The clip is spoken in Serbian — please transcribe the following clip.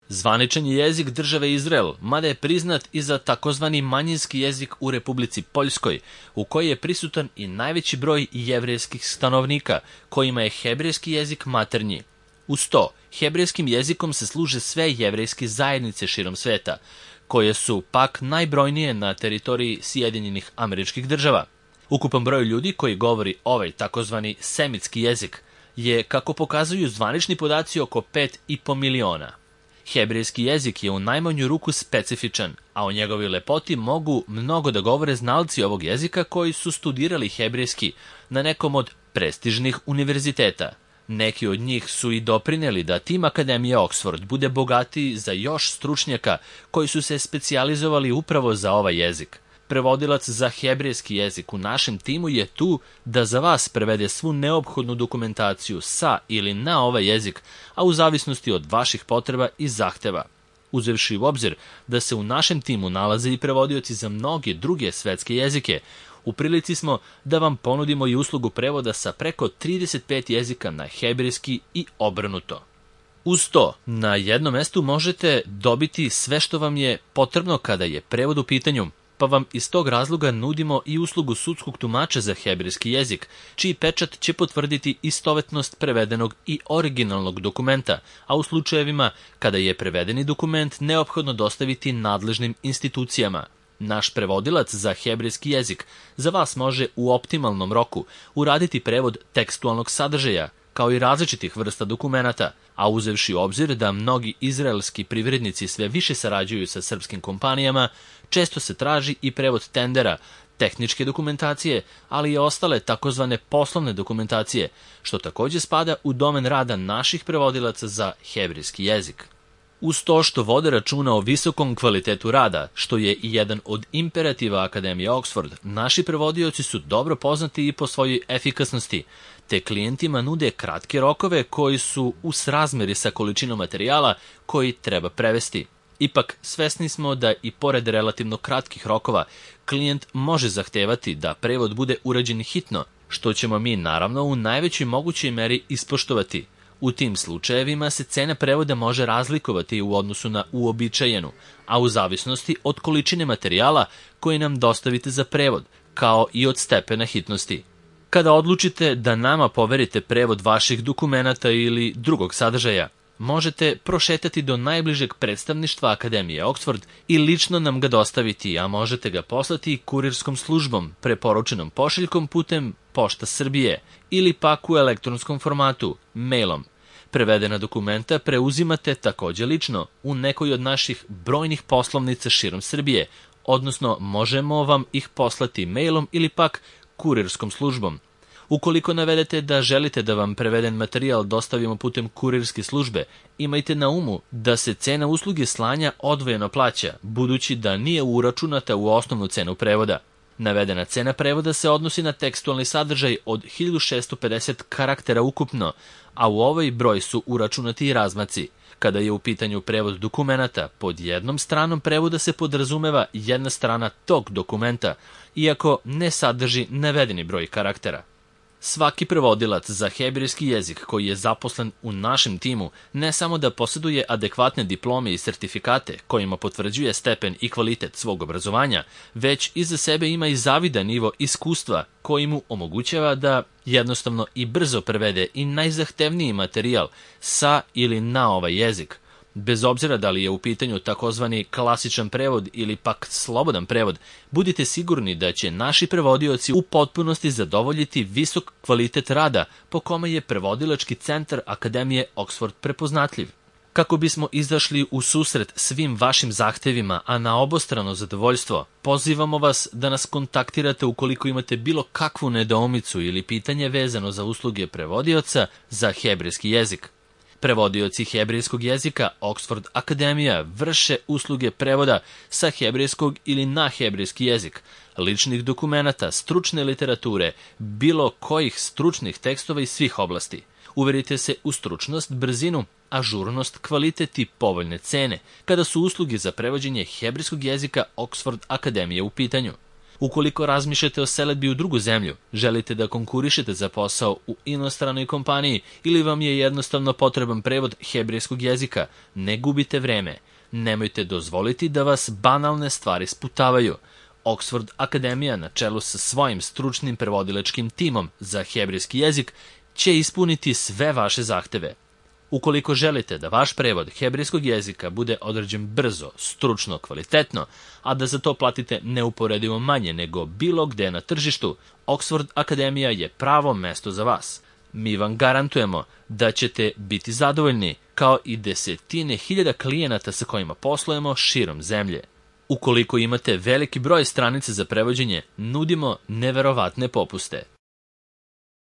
Zvaničan je jezik države Izrael, mada je priznat i za takozvani manjinski jezik u Republici Poljskoj, u kojoj je prisutan i najveći broj jevrejskih stanovnika, kojima je hebrejski jezik maternji. Uz to, hebrejskim jezikom se služe sve jevrejske zajednice širom sveta, koje su pak najbrojnije na teritoriji Sjedinjenih Američkih Država. Ukupan broj ljudi koji govori ovaj takozvani semitski jezik je, kako pokazuju zvanični podaci, oko 5,5 miliona. Hebrejski jezik je u najmanju ruku specifičan, a o njegovoj lepoti mogu mnogo da govore znalci ovog jezika koji su studirali hebrejski na nekom od prestižnih univerziteta. Neki od njih su i doprineli da tim Akademije Oxford bude bogatiji za još stručnjaka koji su se specijalizovali upravo za ovaj jezik. Prevodilac za hebrejski jezik u našem timu je tu da za vas prevede svu neophodnu dokumentaciju sa ili na ovaj jezik, a u zavisnosti od vaših potreba i zahteva. Uzevši u obzir da se u našem timu nalaze i prevodioci za mnoge druge svetske jezike, u prilici smo da vam ponudimo i uslugu prevoda sa preko 35 jezika na hebrejski i obrnuto. Uz to, na jednom mestu možete dobiti sve što vam je potrebno kada je prevod u pitanju, pa vam iz tog razloga nudimo i uslugu sudskog tumača za hebrejski jezik, čiji pečat će potvrditi istovetnost prevedenog i originalnog dokumenta, a u slučajevima kada je prevedeni dokument neophodno dostaviti nadležnim institucijama. Naš prevodilac za hebrejski jezik za vas može u optimalnom roku uraditi prevod tekstualnog sadržaja, kao i različitih vrsta dokumenata, a uzevši u obzir da mnogi izraelski privrednici sve više sarađuju sa srpskim kompanijama, često se traži i prevod tendera, tehničke dokumentacije, ali i ostale takozvane poslovne dokumentacije, što takođe spada u domen rada naših prevodilaca za hebrejski jezik. Uz to što vode računa o visokom kvalitetu rada, što je i jedan od imperativa Akademije Oxford, naši prevodioci su dobro poznati i po svojoj efikasnosti, te klijentima nude kratke rokove koji su u srazmeri sa količinom materijala koji treba prevesti. Ipak, svesni smo da i pored relativno kratkih rokova, klijent može zahtevati da prevod bude urađen hitno, što ćemo mi naravno u najvećoj mogućoj meri ispoštovati. U tim slučajevima se cena prevoda može razlikovati u odnosu na uobičajenu, a u zavisnosti od količine materijala koji nam dostavite za prevod, kao i od stepena hitnosti. Kada odlučite da nama poverite prevod vaših dokumenata ili drugog sadržaja, možete prošetati do najbližeg predstavništva Akademije Oxford i lično nam ga dostaviti, a možete ga poslati kurirskom službom, preporučenom pošiljkom putem Pošta Srbije ili pak u elektronskom formatu, mailom. Prevedena dokumenta preuzimate takođe lično u nekoj od naših brojnih poslovnica širom Srbije, odnosno možemo vam ih poslati mailom ili pak kurirskom službom. Ukoliko navedete da želite da vam preveden materijal dostavimo putem kurirske službe, imajte na umu da se cena usluge slanja odvojeno plaća, budući da nije uračunata u osnovnu cenu prevoda. Navedena cena prevoda se odnosi na tekstualni sadržaj od 1650 karaktera ukupno, a u ovaj broj su uračunati i razmaci. Kada je u pitanju prevod dokumenata, pod jednom stranom prevoda se podrazumeva jedna strana tog dokumenta, iako ne sadrži navedeni broj karaktera. Svaki prevodilac za hebrejski jezik koji je zaposlen u našem timu ne samo da posjeduje adekvatne diplome i sertifikate kojima potvrđuje stepen i kvalitet svog obrazovanja, već iza sebe ima i zavidan nivo iskustva koji mu omogućava da jednostavno i brzo prevede i najzahtevniji materijal sa ili na ovaj jezik. Bez obzira da li je u pitanju takozvani klasičan prevod ili pak slobodan prevod, budite sigurni da će naši prevodioci u potpunosti zadovoljiti visok kvalitet rada po kome je prevodilački centar Akademije Oxford prepoznatljiv. Kako bismo izašli u susret svim vašim zahtevima, a na obostrano zadovoljstvo, pozivamo vas da nas kontaktirate ukoliko imate bilo kakvu nedoumicu ili pitanje vezano za usluge prevodioca za hebrejski jezik. Prevodioci hebrejskog jezika Oxford Akademija vrše usluge prevoda sa hebrejskog ili na hebrejski jezik, ličnih dokumenata, stručne literature, bilo kojih stručnih tekstova iz svih oblasti. Uverite se u stručnost, brzinu, ažurnost, kvalitet i povoljne cene kada su usluge za prevođenje hebrejskog jezika Oxford Akademije u pitanju. Ukoliko razmišljate o selidbi u drugu zemlju, želite da konkurišete za posao u inostranoj kompaniji ili vam je jednostavno potreban prevod hebrejskog jezika, ne gubite vreme. Nemojte dozvoliti da vas banalne stvari sputavaju. Oxford Akademija na čelu sa svojim stručnim prevodilačkim timom za hebrejski jezik će ispuniti sve vaše zahteve. Ukoliko želite da vaš prevod hebrejskog jezika bude odrađen brzo, stručno, kvalitetno, a da za to platite neuporedivo manje nego bilo gde na tržištu, Oxford Akademija je pravo mesto za vas. Mi vam garantujemo da ćete biti zadovoljni, kao i desetine hiljada klijenata sa kojima poslujemo širom zemlje. Ukoliko imate veliki broj stranica za prevođenje, nudimo neverovatne popuste.